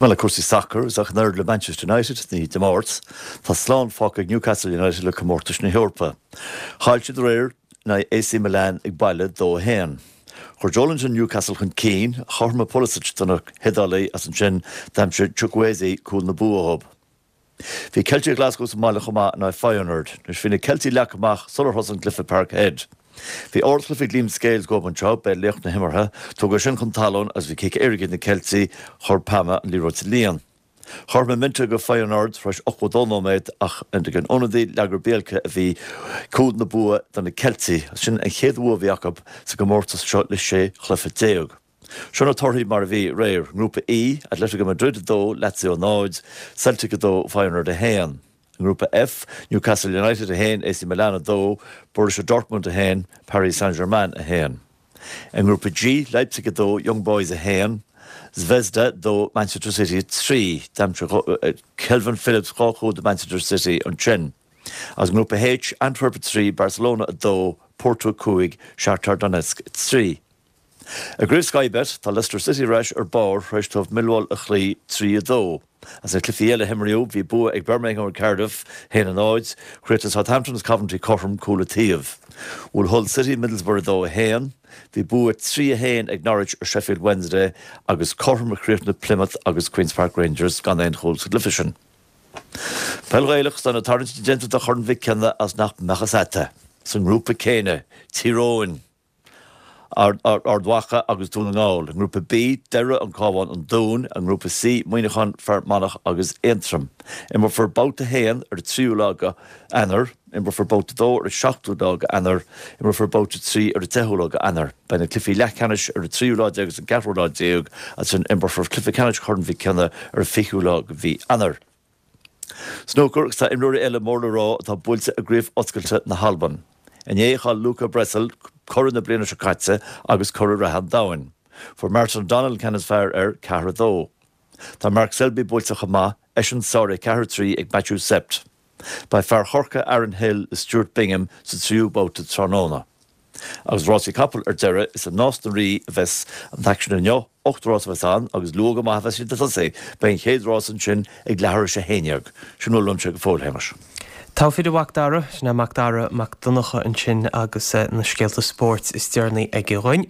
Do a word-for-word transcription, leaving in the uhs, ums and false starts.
Well le cúrsaí sacair is ach an oiread le Manchester United ní Dé Máirt, tá slán fágtha ag Newcastle United le comórtas na hEorpa. Chaill siad aréir in aghaidh AC Milan ag baile dó a haon. Chuir Joelinton Newcastle chun cinn, chothromaigh Pulisic do na hIodálaigh as ansin d'aimsigh Chukwueze cúl na bua dóibh. Bhí Celtic Glasgow sa mbaile chomh maith in aghaidh Feyenoord, anois bhí na Ceiltigh leagtha amach sular thosaigh an cluiche i Parkhead. Bhí ardchluiche ag Liam Scales dóibh anseo, b'é laoch na himeartha, tógadh sin chun talún agus bhí cic éirice ag na Ceiltigh, chuir Palma an liathróid sa líon. Chothromaigh Minteh do Feyenoord tar éis ochtó dó nóiméad ach ag an ionadaí Lagerbielke a bhí cúl na bua do na Ceiltigh, sin an chéad bhua a bhí acu sa gcomórtas seo le sé chluiche déag. Seo na torthaí mar a bhí aréir, nGrúpa E, Atletico Madrid dó, Lazio náid, Celtic dó, Feyenoord a haon. Grúpa F, Newcastle United a haon, AC Milan a dó, Borussia Dortmund a haon, Paris Saint-Germain a haon. I nGrúpa G, Leipzig a dó, Young Boys a haon, Zvezda dó Manchester City trí, d'aimsigh Kalvin Phillips dhá chúl do Manchester City ansin. As nGrúpa H, Antwerp trí, Barcelona a dó, Porto cúig, Shakhtar Donetsk trí. I gCraobh Sky Bet tá Leicester City ar ais ar barr tar éis dóibh Millwall a chloí trí a dó. As na cluichí eile a imríodh bhí bua ag Birmingham ar Cardiff haon a náid, chríochnaigh Southampton agus Coventry cothrom cúl an taobh. Bhuail Hull City Middlesbrough dó a haon, bhí bua trí a haon ag Norwich ar Sheffield Wednesday agus cothrom a chríochnaigh Plymouth agus Queen's Park Rangers gan aon chúl sa gcluiche sin. Peil Ghaelach tá na tarraingtí déanta do Chorn Mhic Cionnaith as nach mbeadh fhios agat. Sa ngrúpa céanna, Tír Eoghain, Ard Mhacha agus Dún na nGall. Grúpa B, Doire an Cabhán an Dún, an grúpa C, Muineachán Fear Manach agus Aontroim. Imreofar babhta haon ar an tríú lá d'Eanáir, imreofar babhta dó ar an seachtú lá d'Eanáir, imreofar babhta trí ar an deichiú lá d'Eanáir. Beidh na cluichí leathcheannais ar an tríú lá déag agus an ceathrú lá déag agus ansin imreofar cluiche ceannais Chorn Mhic Cionnaith ar an fichiú lá de mhí Eanáir. Snúcar agus tá imreoirí eile mór le rá atá buailte i gCraobh Oscailte na hAlban. Inné chaill Luca Brecel curaidh na bliana seo caite agus curaidh reatha an domhain. Fuair Martin O'Donnell ceann is fearr air ceathair a dó. Tá Mark Selby buailte chomh maith eisean sáraithe ceathair trí ag Matthew Sept. Beidh fear Chorcaí Aaron Hill is Stuart Bingham sa tríú babhta tráthnóna. Agus rásaí capall ar deireadh is i Nás na Rí a bheas an t-aicsean inniu, ocht rás a bheas ann agus luath go maith a bheas siad ag tosú, beidh an chéad rás ansin ag leathuair tar éis a haon déag. Sin a bhfuil uaimse go fóill Shéamais. Tá fir Mhac Dara, sin é Mac Dara Mac Donncha ansin agus na scéalta spóirt is deireanaí aige dhúinn.